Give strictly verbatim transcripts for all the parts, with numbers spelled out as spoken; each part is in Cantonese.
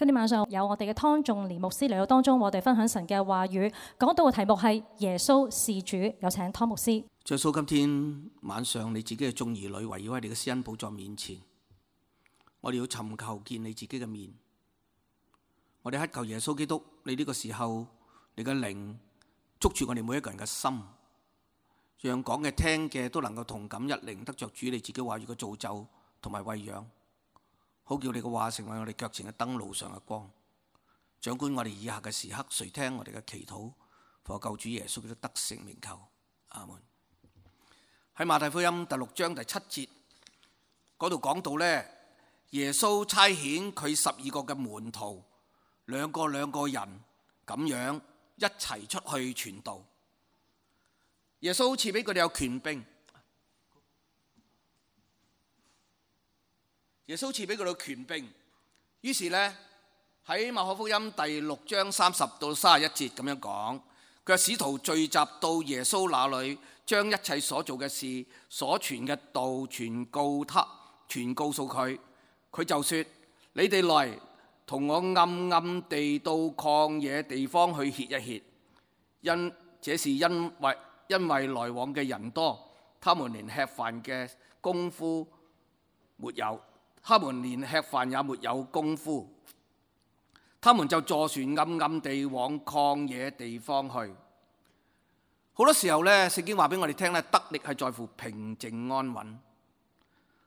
今天晚上有我哋嘅湯仲年牧師嚟到當中，我哋分享神嘅話語，講到嘅題目係耶穌是主。有請湯牧師。耶穌，今天晚上你自己嘅眾兒女圍繞喺你嘅施恩寶座面前，我哋要尋求見你自己嘅面。我哋乞求耶穌基督，你呢個時候你嘅靈捉住我哋每一個人嘅心，讓講嘅聽嘅都能夠同感一靈，得着主你自己話語嘅造就同埋餵養，好叫你嘅話成為我哋腳前嘅燈，路上嘅光。掌管我哋以下嘅時刻，垂聽我哋嘅祈禱，奉救主耶穌基督得勝名求，阿門。喺馬太福音第六章第七節嗰度講到呢，耶穌差遣佢十二個嘅門徒，兩個兩個人咁樣一齊出去傳道。耶穌賜俾佢哋有權柄，耶穌賜俾佢哋有權柄。於是呢，喺馬可福音第六章三十到三十一節咁樣講，佢話使徒聚集到耶穌那裏，將一切所做嘅事、所傳嘅道傳告他，傳告訴佢。佢就說：你哋來同我暗暗地到曠野地方去歇一歇，因這是因為因為來往嘅人多，他們連吃飯嘅功夫沒有，他們連吃飯也沒有功夫，他們就坐船暗暗地往曠野地方去。好多時候呢，聖經話俾我哋聽咧，得力係在乎平靜安穩，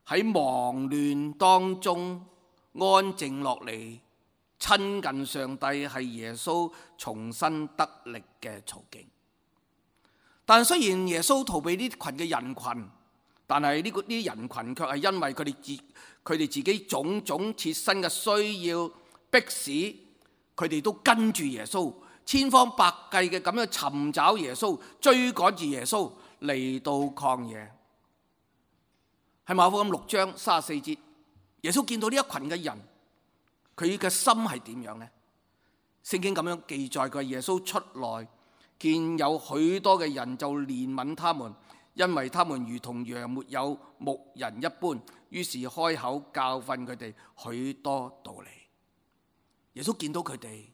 喺忙亂當中安靜落嚟，親近上帝係耶穌重新得力嘅途徑。但雖然耶穌逃避呢群嘅人群，但係呢個呢啲人群卻係因為佢哋自佢哋自己種種切身嘅需要，迫使佢哋都跟住耶穌，千方百計嘅咁樣尋找耶穌，追趕住耶穌嚟到曠野。喺馬可福音六章三十四節，耶穌見到呢一群嘅人，佢嘅心係點樣呢？聖經咁樣記載，佢耶穌出來見有許多嘅人，就憐憫他們，因為他們如同羊沒有牧人一般，於是開口教訓佢哋許多道理。耶穌見到佢哋，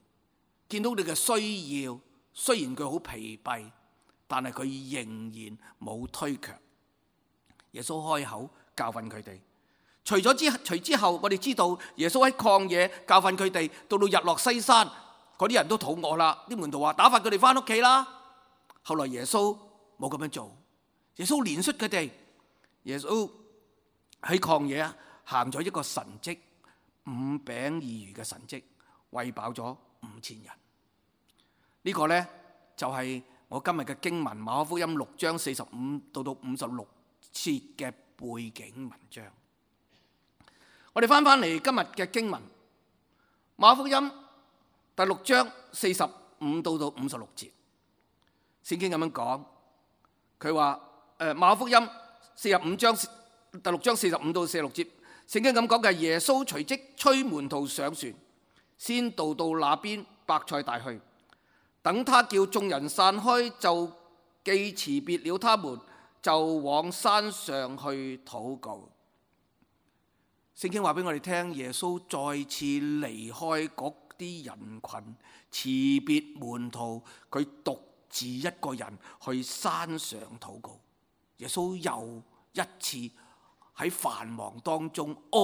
見到你嘅需要，雖然佢好疲憊，但係佢仍然冇推卻。耶穌開口教訓佢哋。除咗之除之後，我哋知道耶穌喺曠野教訓佢哋，到到日落西山，嗰啲人都肚餓啦。啲門徒話：打發佢哋翻屋企啦。後來耶穌冇咁樣做，耶穌憐恤佢哋。耶穌喺曠野行咗一個神蹟，五餅二魚嘅神蹟，餵飽咗五千人。呢、這個呢，就係、是、我今日嘅經文，馬可福音六章四十五到到五十六節嘅背景文章。我哋翻翻嚟今日嘅經文，馬可福音第六章四十五到到五十六節，聖經咁樣講，佢話誒馬可福音四十五章第六章四十五到四十六節，聖經咁講嘅，耶穌隨即催門徒上船，先渡到那邊伯賽大去。等他叫眾人散開，就既辭別了他們，就往山上去禱告。聖經話俾我哋聽，耶穌再次離開嗰啲人群，辭別門徒，佢獨自一個人去山上禱告。耶穌又一次喺繁忙當中安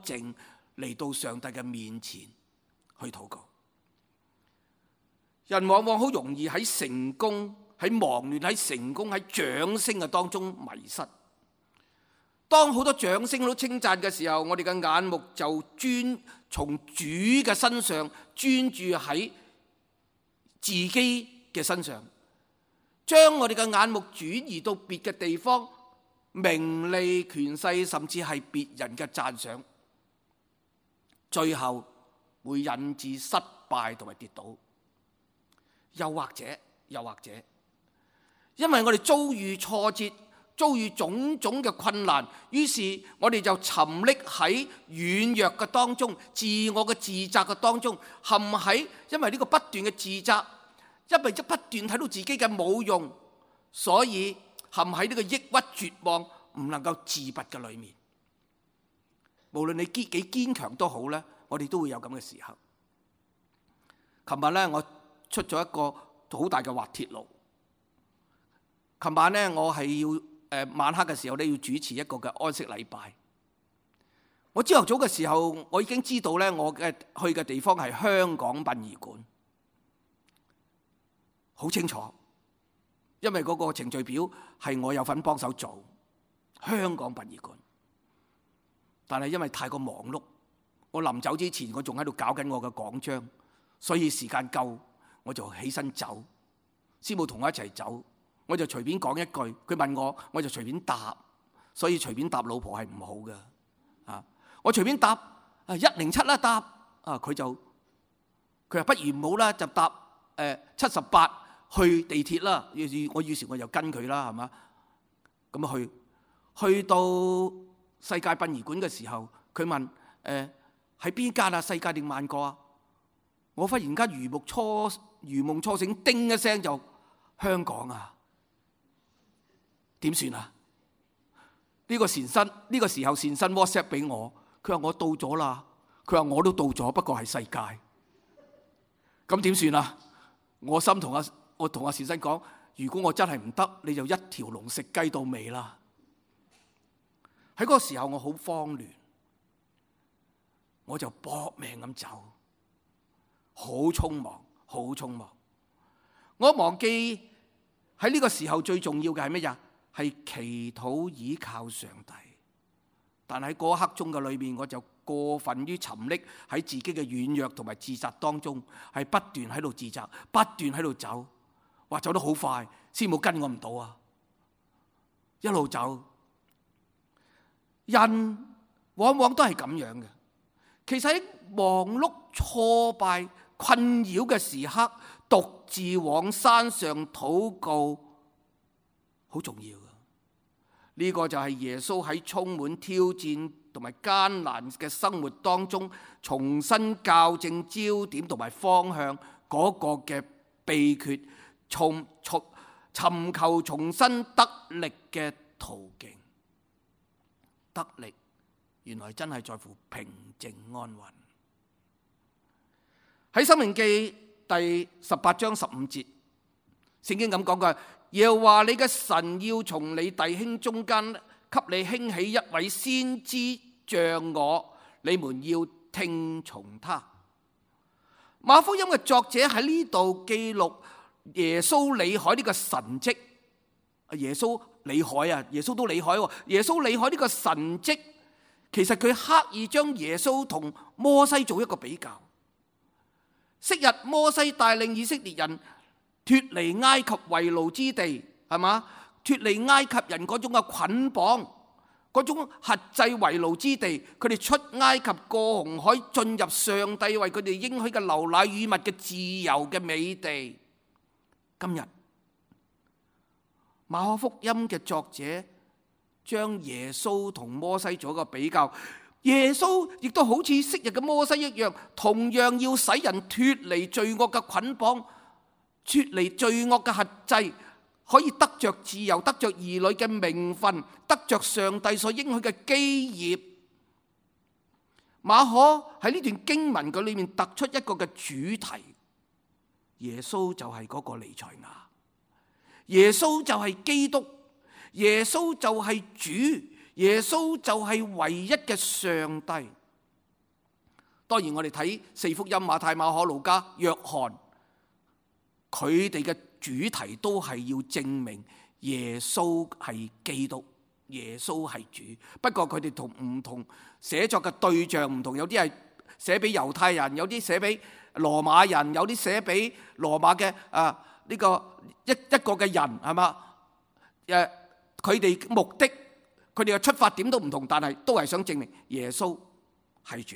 靜嚟到上帝嘅面前去禱告。人往往好容易喺成功、喺忙亂、喺成功、喺掌聲嘅當中迷失。當好多掌聲都稱讚嘅時候，我哋嘅眼目就專從主嘅身上專注喺自己嘅身上，將我哋嘅眼目轉移到別嘅地方，名利、權勢，甚至係別人嘅讚賞，最後會引致失敗同埋跌倒。又或者，又或者，因為我哋遭遇挫折，遭遇種種嘅困難，於是我哋就沉溺喺軟弱嘅當中，自我嘅自責嘅當中，陷喺因為呢個不斷嘅自責，因為一不斷睇到自己嘅冇用，所以陷喺呢個抑鬱絕望，唔能夠自拔嘅裏面。無論你幾幾堅強都好咧，我哋都會有咁嘅時候。琴日咧我出咗一個好大嘅滑鐵盧。琴晚咧我係要誒、呃、晚黑嘅時候咧要主持一個嘅安息禮拜。我朝頭早嘅時候，我已經知道咧我嘅去嘅地方係香港殯儀館，好清楚，因為嗰個程序表係我有份幫手做香港殯儀館。但係因為太過忙碌，我臨走之前我仲喺度搞緊我嘅講章，所以時間夠我就起身走。師母同我一齊走，我就隨便講一句，佢問我我就隨便答，所以隨便答老婆係唔好嘅啊！我隨便答啊一零七啦答啊，佢就佢話不如唔好啦，就答誒七十八去地鐵啦。我於是我就跟佢啦，係嘛？咁啊去去到世界殯儀館嘅時候，佢問誒喺邊間啊？世界定萬國啊？我忽然間如夢初如夢初醒，叮一聲就香港啊！點算啊？呢個善心呢個時候善心 WhatsApp 俾我，佢話我到咗啦。佢話我都到咗，不過係世界。咁點算啊？我心同阿我同阿善心講，如果我真係唔得，你就一條龍食雞到尾啦。喺嗰個時候我好慌亂，我就搏命咁走，好匆忙，好匆忙。我忘記喺呢個時候最重要嘅係乜嘢？係祈禱倚靠上帝。但喺嗰刻鐘嘅裏面，我就過分於沉溺喺自己嘅軟弱同埋自責當中，係不斷喺度自責，不斷喺度走，哇走得好快，師母跟我唔到啊！一路走，人往往都係咁樣嘅。其實喺忙碌、挫敗、困擾嘅時刻，獨自往山上禱告，好重要嘅。呢個就係耶穌喺充滿挑戰同埋艱難嘅生活當中，重新校正焦點同埋方向嗰個嘅秘訣，從從尋求重新得力嘅途徑。得力原來真係在乎平靜安穩。喺《申命記》第十八章十五節，聖經咁講嘅，耶和華你嘅神要從你弟兄中間給你興起一位先知像我，你們要聽從他。馬福音嘅作者喺呢度記錄耶穌履海呢個神蹟。耶穌履海啊，耶穌都履海喎。耶穌履海呢個神蹟，其實佢刻意將耶穌同摩西做一個比較。昔日摩西帶領以色列人脫離埃及為奴之地，係嘛？脫離埃及人嗰種嘅捆綁，嗰種轄制為奴之地，佢哋出埃及過紅海，進入上帝為佢哋應許嘅流奶與蜜嘅自由嘅美地。今日馬可福音嘅作者將耶穌同摩西做一個比較。耶穌亦都好似昔日嘅摩西一樣，同樣要使人脫離罪惡嘅捆綁，脫離罪惡嘅轄制，可以得着自由，得着兒女嘅名分，得着上帝所應許嘅基業。馬可喺呢段經文嘅裏面突出一個嘅主題，耶穌就係嗰個彌賽亞，耶穌就係基督，耶穌就係主，耶穌就係唯一嘅上帝。當然我哋睇四福音，馬太、馬可、路加、約翰，佢哋嘅主題都係要證明耶穌係基督，耶穌係主。不過佢哋同唔同寫作嘅對象唔同，有啲係寫俾猶太人，有啲寫俾羅馬人，有啲寫俾羅馬嘅啊呢個一一個嘅人，係嘛？誒，佢哋目的，佢哋嘅出發點都唔同，但係都係想證明耶穌係主，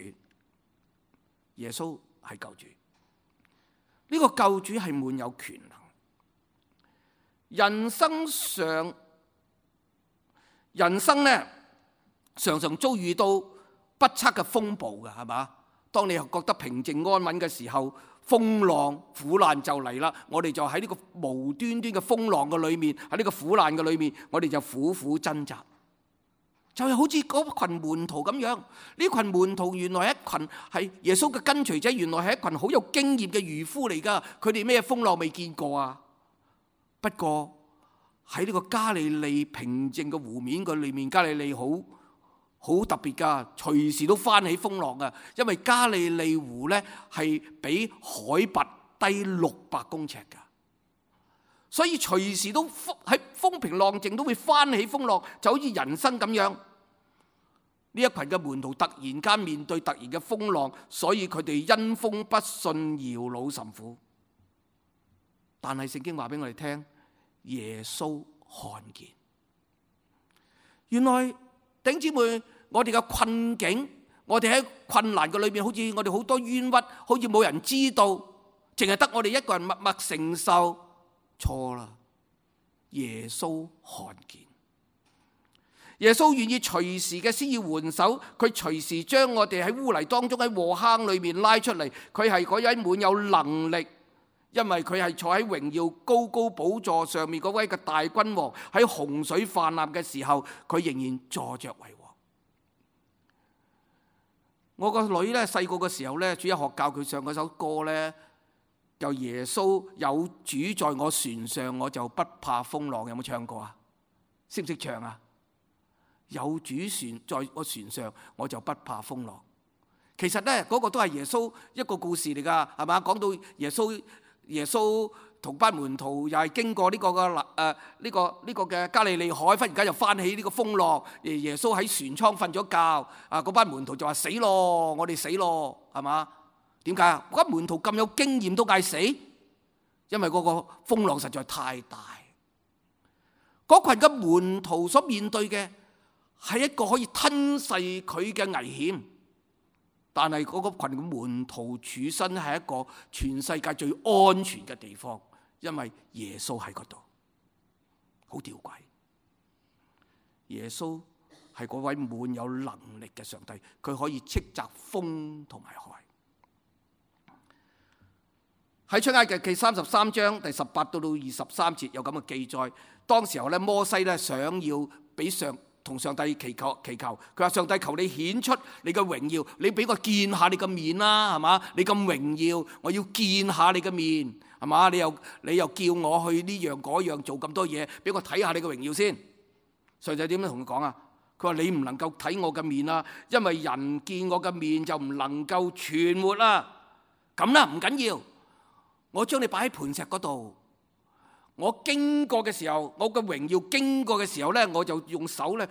耶穌係救主。呢個救主係滿有權能。人生上，人生呢常常遭遇到不測嘅風暴嘅，係嘛？當你又覺得平靜安穩嘅時候，風浪苦難就嚟啦。我哋就喺呢個無端端嘅風浪嘅裏面，喺呢個苦難嘅裏面，我哋就苦苦掙扎。就係好似嗰群門徒咁樣。呢群門徒原來係一群係耶穌嘅跟隨者，原來係一群好有經驗嘅漁夫嚟㗎。佢哋咩風浪未見過啊？不過喺呢個加利利平靜嘅湖面嘅裏面，加利利好好特別㗎，隨時都翻起風浪㗎。因為加利利湖呢係比海拔低六百公尺㗎，所以隨時都喺風平浪靜都會翻起風浪，就好似人生咁樣。呢一群嘅門徒突然間面對突然嘅風浪，所以佢哋因風不順，搖腦甚苦。但係聖經話俾我哋聽，耶穌看見。原來弟兄姊妹，我哋嘅困境，我哋喺困難嘅裏面，好似我哋好多冤屈，好似冇人知道，淨係得我哋一個人默默承受。錯啦，耶穌看見。耶穌願意隨時嘅施以援手，佢隨時將我哋喺污泥當中喺禍坑裏面拉出嚟。佢係嗰位滿有能力，因為佢係坐喺榮耀高高寶座上面嗰位嘅大君王。喺洪水泛濫嘅時候，佢仍然坐着為王。我個女咧細個嘅時候咧，主日學教佢唱嗰首歌咧，就耶穌有主在我船上，我就不怕風浪。有冇唱過啊？識唔識唱啊？有主船在我船上，我就不怕風浪。其實咧，嗰個都係耶穌一個故事嚟噶，係嘛？講到耶穌，耶穌同班門徒又係經過呢個嘅誒呢個呢個嘅加利利海，忽然間又翻起呢個風浪。耶穌喺船艙瞓咗覺，啊嗰班門徒就話死咯，我哋死咯，係嘛？點解啊？嗰班門徒咁有經驗都嗌死，因為嗰個風浪實在太大。嗰群嘅門徒所面對嘅係一個可以吞噬佢嘅危險，但係嗰個群嘅門徒處身係一個全世界最安全嘅地方，因為耶穌喺嗰度。好吊詭，耶穌係嗰位滿有能力嘅上帝，佢可以斥責風同埋海。喺出埃及記三十三章第十八到到二十三節有咁嘅記載。當時候咧，摩西咧想要俾上同上帝祈求祈求，佢話：上帝，求你顯出你嘅榮耀，你俾我見下你嘅面啦，係嘛？你咁榮耀，我要見下你嘅面，係嘛？你又你又叫我去呢樣嗰樣做咁多嘢，俾我睇下你嘅榮耀先。上帝點樣同佢講啊？佢話：你唔能夠睇我嘅面啦，因為人見我嘅面就唔能夠存活啦。咁啦，唔緊要。我將你擺喺磐石嗰度，我經過嘅時候，我嘅榮耀經過嘅時候咧，我就用手咧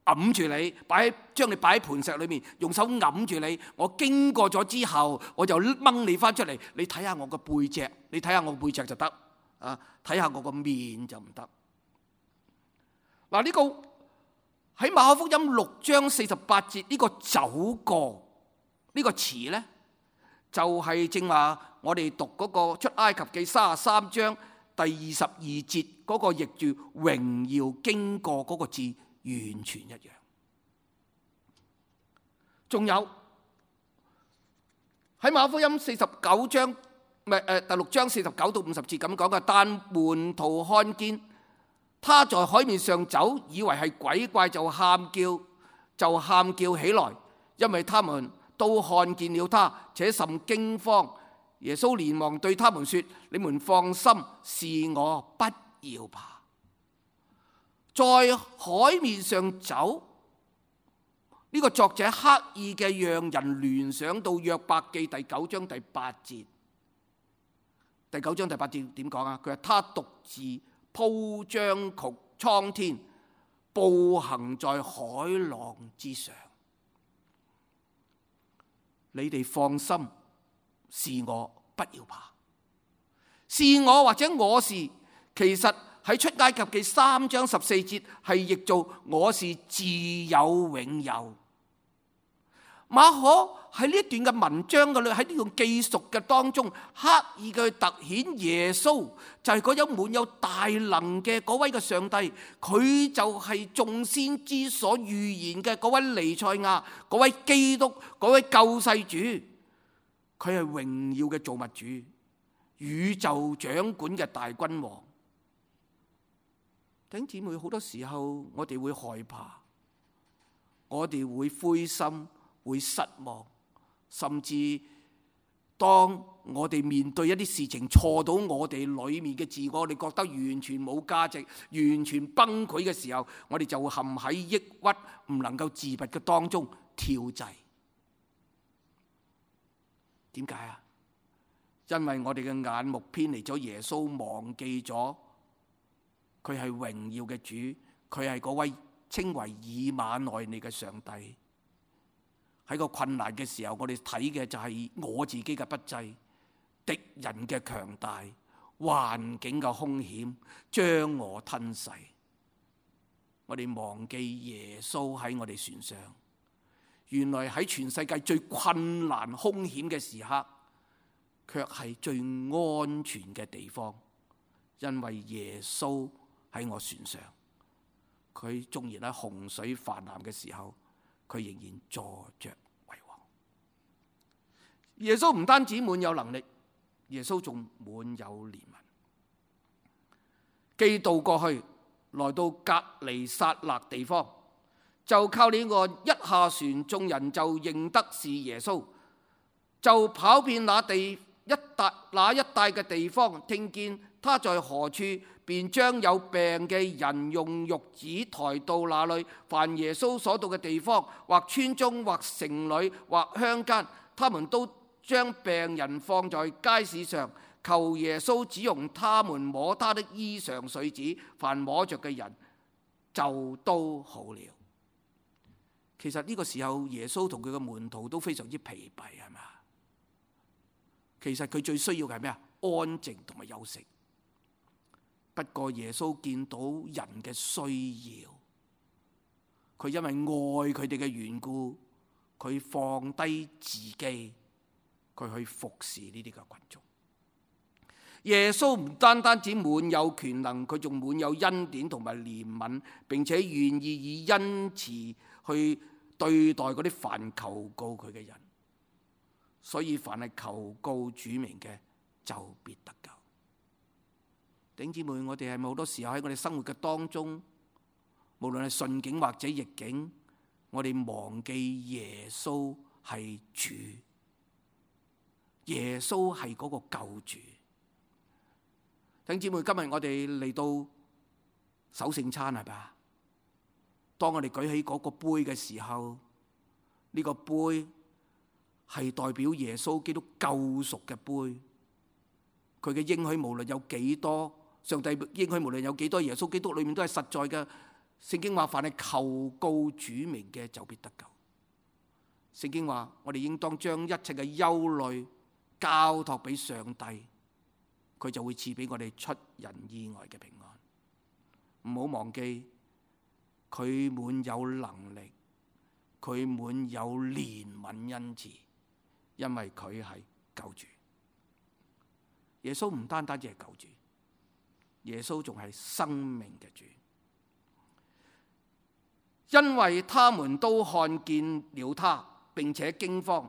揞住你，擺喺將你擺喺磐石裏面，用手揞住你。我經過咗之後，我就掹你翻出嚟，你睇下我個背脊，你睇下我背脊就得啊，睇下我個面就唔得。嗱，呢個喺馬可福音六章四十八節呢個走過呢個詞咧，就係正話我哋讀嗰個出埃及記三十三章第二十二節嗰個譯住榮耀經過嗰個字完全一樣。仲有喺馬可福音四十九章唔係誒第六章四十九到五十節咁講嘅，但門徒看見他在海面上走，以為係鬼怪，就喊叫就喊叫起來，因為他們都看見了他，且甚驚慌。耶穌連忙對他們說：你們放心，是我，不要怕。在海面上走，呢、這個作者刻意嘅讓人聯想到約伯記第九章第八節。第九章第八節點講啊？佢話：他獨自鋪張穹蒼天，步行在海浪之上。你哋放心，是我，不要怕。是我或者我是，其實喺出埃及記三章十四節係譯做我是自有永有。馬可喺呢一段嘅文章嘅裏，喺呢段記述嘅當中，刻意嘅突顯耶穌就係嗰有滿有大能嘅嗰位嘅上帝，佢就係眾先知所預言嘅嗰位彌賽亞，嗰位基督，嗰位救世主，佢係榮耀嘅造物主，宇宙掌管嘅大君王。弟兄姊妹，好多時候我哋會害怕，我哋會灰心，會失望，甚至當我哋面對一啲事情錯到我哋裏面嘅自我，我哋覺得完全冇價值，完全崩潰嘅時候，我哋就會陷喺抑鬱唔能夠自拔嘅當中跳掣。點解啊？因為我哋嘅眼目偏離咗耶穌，忘記咗佢係榮耀嘅主，佢係嗰位稱為以馬內利嘅上帝。喺個困難嘅時候，我哋睇嘅就係我自己嘅不濟，敵人嘅強大，環境嘅兇險將我吞噬。我哋忘記耶穌喺我哋船上，原來喺全世界最困難兇險嘅時刻，卻係最安全嘅地方，因為耶穌喺我船上。佢縱然喺洪水泛濫嘅時候，佢仍然坐着為王。耶穌唔單止滿有能力，耶穌仲滿有憐憫。基督過去來到革尼撒勒地方，就靠呢個一下船，眾人就認得是耶穌，就跑遍那地一帶那一帶嘅地方，聽見他在何處，便將有病嘅人用褥子抬到那裏。凡耶穌所到嘅地方，或村中，或城裏，或鄉間，他們都將病人放在街市上，求耶穌只用他們摸他的衣裳繸子，凡摸着嘅人就都好了。其實呢個時候，耶穌同佢嘅門徒都非常之疲憊，係咪？其實佢最需要嘅係咩啊？安靜同埋休息。不過耶穌見到人嘅需要，佢因為愛佢哋嘅緣故，佢放低自己，佢去服侍呢啲嘅群眾。耶穌唔單單只滿有權能，佢仲滿有恩典同埋憐憫，並且願意以恩慈去對待嗰啲凡求告佢嘅人。所以凡係求告主名嘅，就必得救。弟兄姊妹，我哋係咪好多時候喺我哋生活嘅當中，無論係順境或者逆境，我哋忘記耶穌係主，耶穌係嗰個救主。弟兄姊妹，今日我哋嚟到守聖餐係咪？當我哋舉起嗰個杯嘅時候，呢個杯係代表耶穌基督救贖嘅杯。佢嘅應許無論有幾多，上帝應許無論有幾多，耶穌基督裏面都係實在嘅。聖經話，凡係求告主名嘅，就必得救。聖經話，我哋應當將一切嘅憂慮交託俾上帝，佢就會賜俾我哋出人意外嘅平安。唔好忘記，佢滿有能力，佢滿有憐憫恩慈，因為佢係救主。耶穌唔單單只係救主，耶穌仲係生命嘅主。因為他們都看見了他，並且驚慌。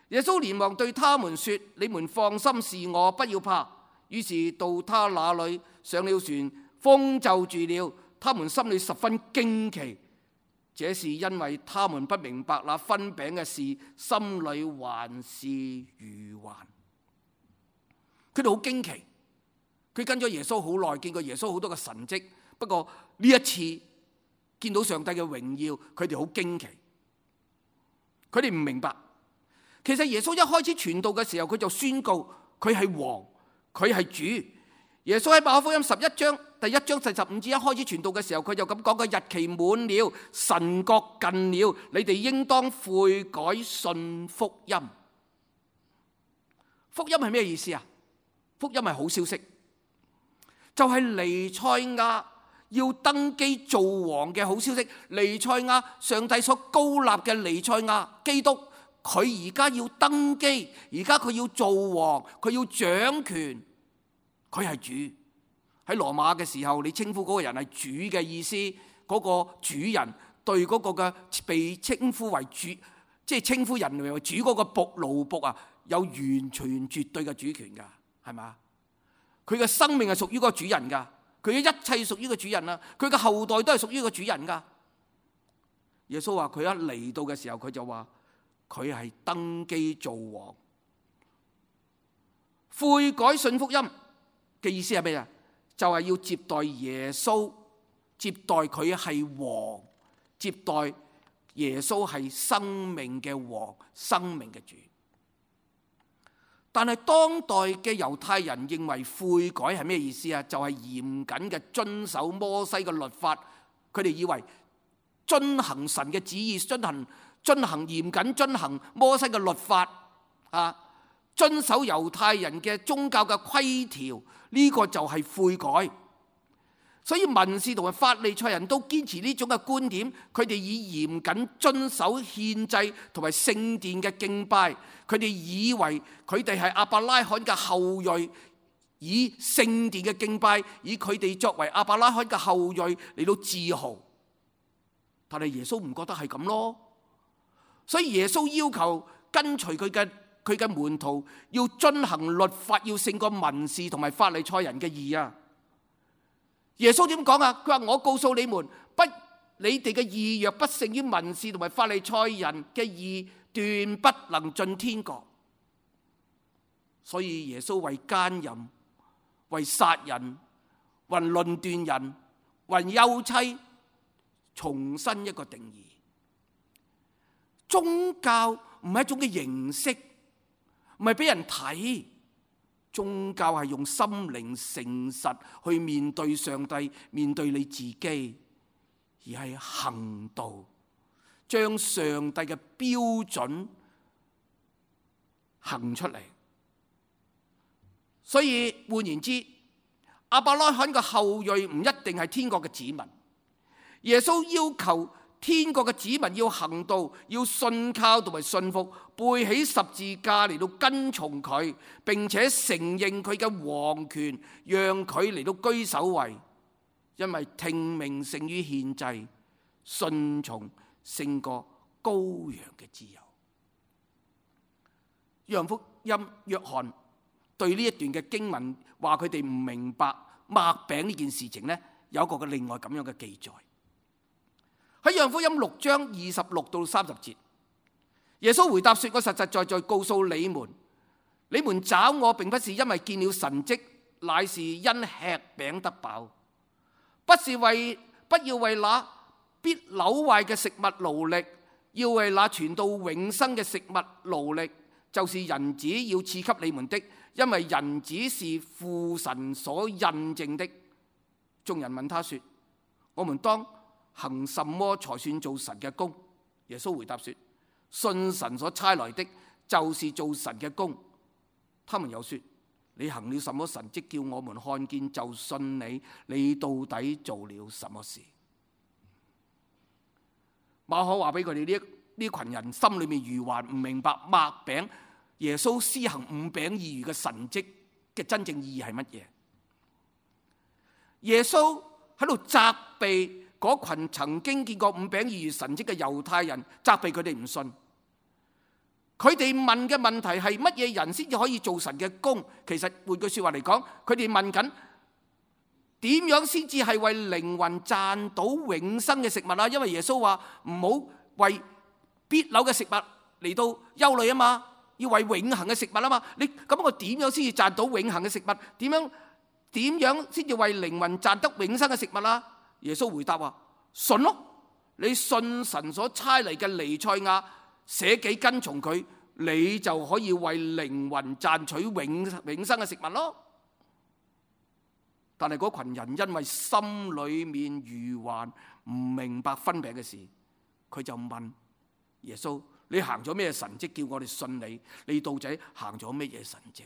耶穌連忙對他們說：你們放心，是我，不要怕。於是到他那裏，上了船，風就住了。他們心裏十分驚奇，這是因為他們不明白那分餅嘅事，心裏還是愚頑。佢哋好驚奇，佢跟咗耶穌好耐，見過耶穌好多嘅神蹟。不過呢一次見到上帝嘅榮耀，佢哋好驚奇。佢哋唔明白，其實耶穌一開始傳道嘅時候，佢就宣告佢係王，佢係主。耶穌喺馬可福音十一章第一章四十五節一開始傳道嘅時候，佢就咁講：個日期滿了，神國近了，你哋應當悔改信福音。福音係咩意思啊？福音係好消息，就係彌賽亞要登基做王嘅好消息。彌賽亞，上帝所高立嘅彌賽亞基督，佢而家要登基，而家佢要做王，佢要掌權，佢係主。喺羅馬嘅時候，你稱呼嗰個人係主嘅意思，嗰個主人對嗰個嘅被稱呼為主，即係稱呼人為主嗰個僕奴僕啊，有完全絕對嘅主權噶。係嘛？佢嘅生命係屬於嗰個主人噶，佢嘅一切屬於個主人啦，佢嘅後代都係屬於個主人噶。耶穌話佢一嚟到嘅時候，佢就話佢係登基做王。悔改信福音嘅意思係咩啊？就係要接待耶穌，接待佢係王，接待耶穌係生命嘅王，生命嘅主。但係當代嘅猶太人認為悔改係咩意思啊？就係嚴謹嘅遵守摩西嘅律法。佢哋以為遵行神嘅旨意，遵行遵行嚴謹遵行摩西嘅律法啊，遵守猶太人嘅宗教嘅規條，呢個就係悔改。所以文士同埋法利賽人都堅持呢種嘅觀點，佢哋以嚴謹遵守獻祭同埋聖殿嘅敬拜，佢哋以為佢哋係亞伯拉罕嘅後裔，以聖殿嘅敬拜，以佢哋作為亞伯拉罕嘅後裔嚟到自豪。但係耶穌唔覺得係咁咯，所以耶穌要求跟隨佢嘅佢嘅門徒要遵行律法，要勝過文士同埋法利賽人嘅義啊！耶穌點講啊？佢話：我告訴你們，不，你哋嘅義若不勝於文士同埋法利賽人嘅義，斷不能進天國。所以耶穌為奸淫、為殺人、為論斷人、為休妻，重新一個定義。宗教唔係一種嘅形式，唔係俾人睇。宗教係用心靈誠實去面對上帝，面對你自己，而係行道，將上帝嘅標準行出嚟。所以換言之，亞伯拉罕嘅後裔唔一定係天國嘅子民。耶穌要求天國嘅子民要行道，要信靠同埋信服，背起十字架嚟到跟從佢，並且承認佢嘅王權，讓佢嚟到居首位。因為聽命勝於獻祭，順從勝過羔羊嘅自由。約翰福音約翰對呢一段嘅經文話佢哋唔明白擘餅呢件事情呢，有一個嘅另外咁樣嘅記載。喺約翰福音六章二十六到三十節，耶穌回答說：我實實在在告訴你們，你們找我並不是因為見了神蹟，乃是因吃餅得飽。不是為不要為那必朽壞嘅食物勞力，要為那傳到永生嘅食物勞力，就是人子要賜給你們的，因為人子是父神所印證的。眾人問他說：我們當行什麼才算做神嘅工？耶穌回答說：信神所差來的，就是做神嘅工。他們又說：你行了什麼神蹟叫我們看見就信你？你到底做了什麼事？馬可話俾佢哋呢呢群人心裏面愚頑，唔明白擘餅耶穌施行五餅二魚嘅神蹟嘅真正意義係乜嘢？耶穌喺度責備嗰群曾經見過五餅二魚神蹟嘅猶太人，責備佢哋唔信。佢哋問嘅問題係乜嘢人先至可以做神嘅工？其實換句說話嚟講，佢哋問緊點樣先至係為靈魂賺到永生嘅食物啊？因為耶穌話唔好為必朽嘅食物嚟到憂慮啊嘛，要為永恆嘅食物啊嘛。你咁我點樣先至賺到永恆嘅食物？點樣點樣先至為靈魂賺得永生嘅食物啊？耶穌回答話：信咯，你信神所差嚟嘅彌賽亞，捨己跟從佢，你就可以為靈魂賺取永永生嘅食物咯。但係嗰群人因為心裏面愚頑，唔明白分餅嘅事，佢就問耶穌：你行咗咩神蹟叫我哋信你？你到底行咗咩嘢神蹟？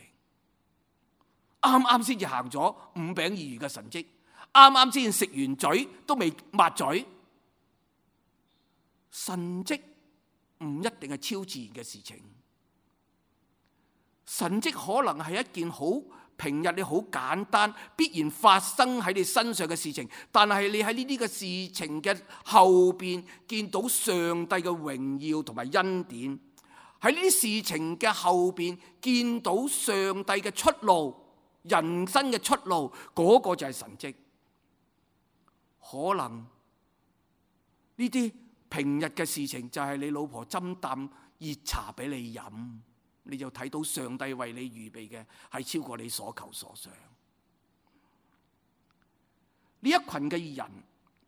啱啱先至行咗五餅二魚嘅神蹟，啱啱先食完嘴都未抹嘴。神蹟唔一定係超自然嘅事情，神蹟可能係一件好平日你好簡單必然發生喺你身上嘅事情，但係你喺呢啲嘅事情嘅後邊見到上帝嘅榮耀同埋恩典，喺呢啲事情嘅後邊見到上帝嘅出路，人生嘅出路，嗰個就係神蹟。可能呢啲平日嘅事情就係你老婆斟啖熱茶俾你飲，你就睇到上帝為你預備嘅係超過你所求所想。呢一群嘅人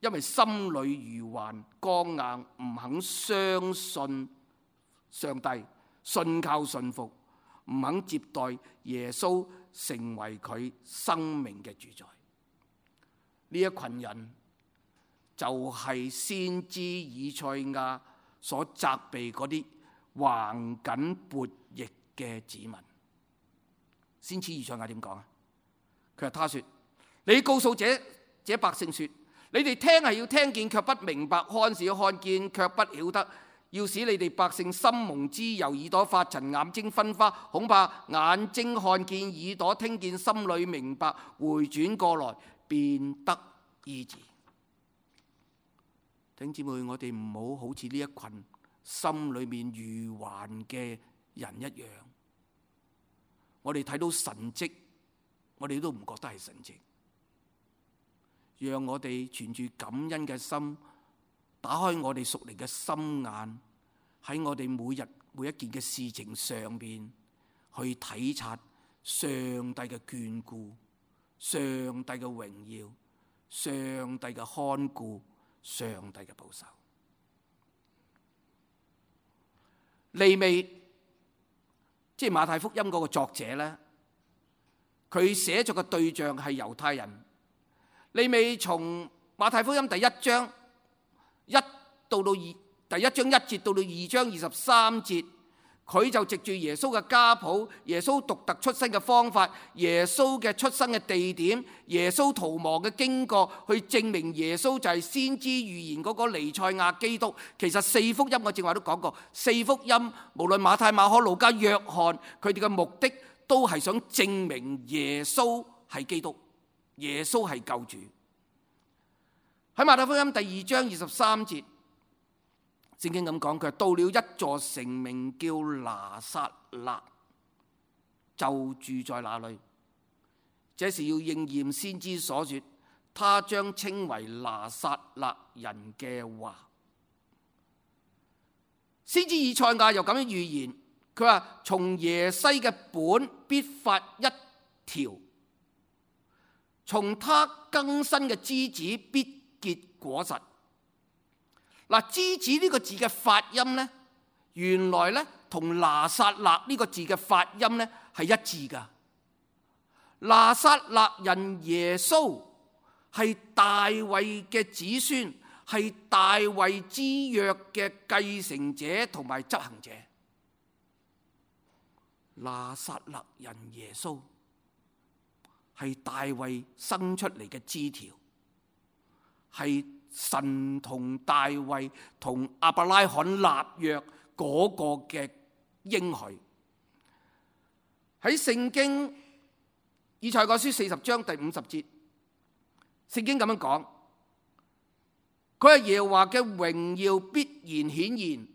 因為心裏愚頑剛硬，唔肯相信上帝，信靠信服，唔肯接待耶穌成為佢生命嘅主宰。呢一群人就係先知以賽亞所責備嗰啲橫梗悖逆嘅子民。先知以賽亞點講啊？佢話他說：你告訴這這百姓說，你哋聽係要聽見卻不明白，看是要看見卻不曉得，要使你哋百姓心蒙脂油，耳朵發沉，眼睛昏花，恐怕眼睛看見，耳朵聽見，心裏明白，回轉過來便得醫治。弟兄姊妹，我哋唔好好似呢一群心裏面愚頑嘅人一樣，我哋睇到神蹟，我哋都唔覺得係神蹟。讓我哋存住感恩嘅心，打開我哋屬靈嘅心眼，喺我哋每日每一件嘅事情上邊去體察上帝嘅眷顧、上帝嘅榮耀、上帝嘅看顧、上帝嘅保守。利未，即係馬太福音嗰個作者咧，佢寫作嘅對象係猶太人。利未從馬太福音第一章一到到二，第一章一節到到二章二十三節，佢就藉住耶穌嘅家譜、耶穌獨特出生嘅方法、耶穌嘅出生嘅地點、耶穌逃亡嘅經過，去證明耶穌就係先知預言嗰個彌賽亞基督。其實四福音我正話都講過，四福音無論馬太、馬可、路加、約翰，佢哋嘅目的都係想證明耶穌係基督，耶穌係救主。喺馬太福音第二章二十三節，聖經咁講，佢到了一座城名叫拿撒勒，就住在那裏。這是要應驗先知所說，他將稱為拿撒勒人嘅話。先知以賽亞又咁樣預言，佢話從耶西嘅本必發一條，從他更新嘅枝子必結果實。嗱，枝子呢個字嘅發音呢，原來呢同拿撒勒呢個字嘅發音呢係一致噶。拿撒勒人耶穌係大衛嘅子孫，係大衛之約嘅繼承者同埋執行者。拿撒勒人耶穌係大衛生出嚟嘅枝條，係神同大衛同亞伯拉罕立約嗰個嘅應許。喺聖經以賽亞書四十章第五十節，聖經咁樣講，佢係耶和華嘅榮耀必然顯現，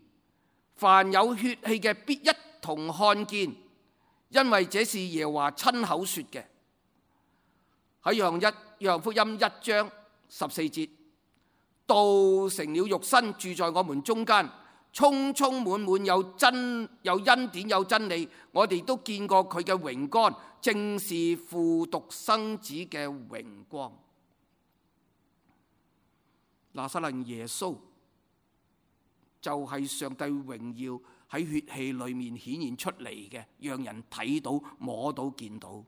凡有血氣嘅必一同看見，因為這是耶和華親口說嘅。喺約翰一約翰福音一章十四節，道成了肉身，住在我們中間，充充滿滿有真有恩典有真理，我哋都見過佢嘅榮光，正是父獨生子嘅榮光。拿撒勒耶穌就係上帝榮耀喺血氣裏面顯現出嚟嘅，讓人睇到摸到見到，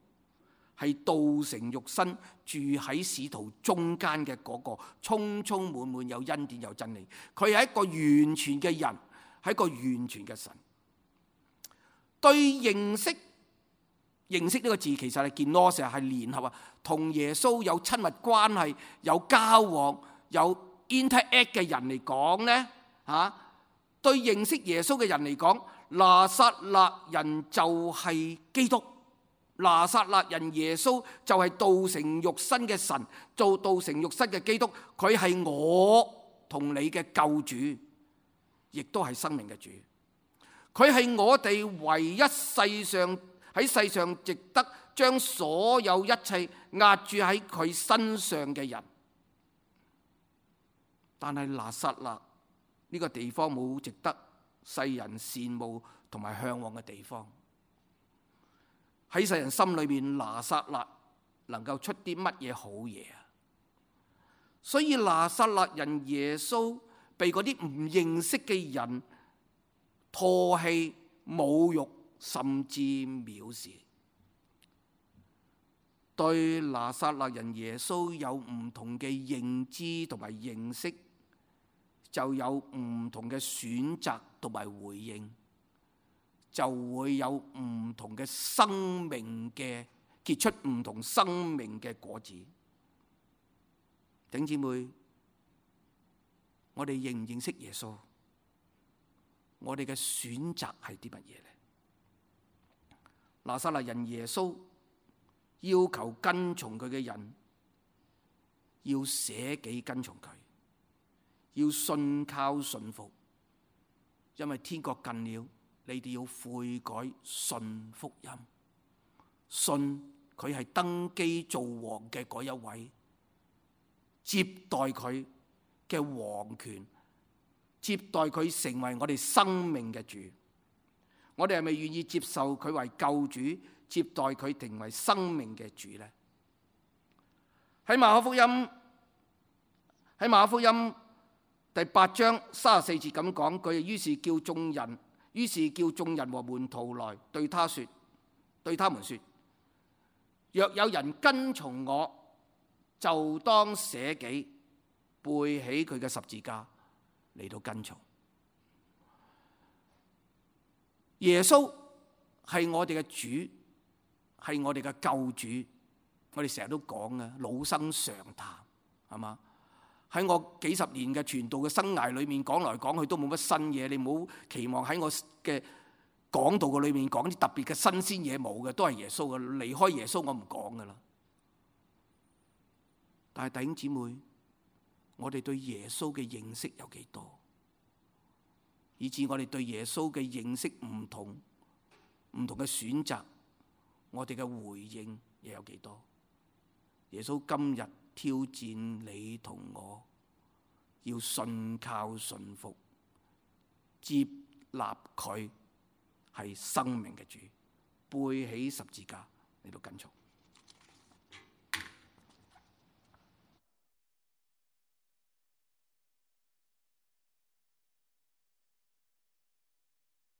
係道成肉身住喺使徒中間嘅嗰個，充充滿滿有恩典有真理。佢係一個完全嘅人，係一個完全嘅神。對認識認識呢個字，其實係見羅成係聯合啊，同耶穌有親密關係、有交往、有 interact 嘅人嚟講呢，嚇，對認識耶穌嘅人嚟講，拿撒勒人就係基督。拿撒勒人耶穌就係道成肉身嘅神，做道成肉身嘅基督，佢係我同你嘅救主，亦都係生命嘅主。佢係我哋唯一世上喺世上值得將所有一切壓住喺佢身上嘅人。但係拿撒勒呢個地方冇值得世人羨慕同埋向往嘅地方。喺世人心裏面，拿撒勒能夠出啲乜嘢好嘢啊？所以拿撒勒人耶穌被嗰啲唔認識嘅人唾棄、侮辱，甚至藐視。對拿撒勒人耶穌有唔同嘅認知同埋認識，就有唔同嘅選擇同埋回應，就會有唔同嘅生命嘅結出唔同生命嘅果子。弟兄姊妹，我哋認唔認識耶穌？我哋嘅選擇係啲乜嘢呢？拿撒勒人耶穌要求跟從佢嘅人要捨己跟從佢，要信靠信服，因為天國近了，你哋要悔改，信福音，信佢係登基做王嘅嗰一位，接待佢嘅王權，接待佢成為我哋生命嘅主。我哋係咪願意接受佢為救主，接待佢成為生命嘅主呢？喺馬可福音，喺馬可福音第八章三十四節咁講，佢於是叫眾人，於是叫眾人和門徒來對他說，對他們說：若有人跟從我，就當捨己，背起佢嘅十字架嚟到跟從。耶穌係我哋嘅主，係我哋嘅救主。我哋成日都講嘅老生常談，係嘛？喺我幾十年嘅傳道嘅生涯裏面，講來講去都冇乜新嘢。你唔好期望喺我嘅講道嘅裏面講啲特別嘅新鮮嘢，冇嘅，都係耶穌嘅。離開耶穌我唔講噶啦。但係弟兄姊妹，我哋對耶穌嘅認識有幾多？以致我哋對耶穌嘅認識唔同，唔同嘅選擇，我哋嘅回應又有幾多？耶穌今日挑戰你同我，要信靠信服，接納佢係生命嘅主，背起十字架嚟到跟從。